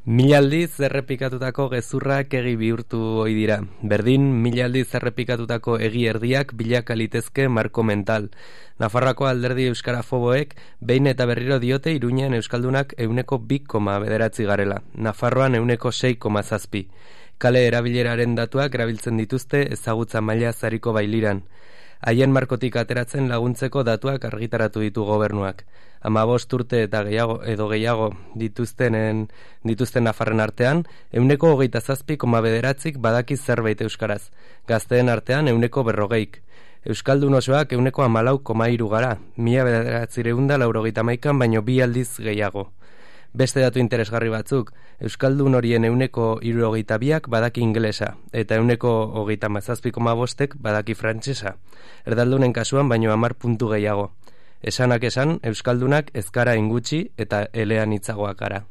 Mila aldiz errepikatutako gezurrak egi bihurtu ohi dira. Berdin, mila aldiz errepikatutako egi erdiak bilaka litezke marko mental. Nafarroako alderdi euskarafoboek behin eta berriro diote Iruñean euskaldunak 2,9 garela. Nafarroan 6,7. Kale erabileraren datuak erabiltzen dituzte ezagutza maila zariko bailiran. Haien markotik ateratzen laguntzeko datuak argitaratu ditu gobernuak. 15 urte eta gehiago dituzten nafarren artean, 27,9 badaki zerbait euskaraz. Gazteen artean 40%. Euskaldun osoak 14,3 gara, 1991 baino 2 aldiz gehiago. Beste datu interesgarri batzuk, euskaldun horien 72 badaki ingelesa, eta 27,5 badaki frantsesa. Erdaldunen kasuan baino 10 puntu gehiago. Esanak esan, euskaldunak ez gara ingutxi eta elean hitzagoak gara.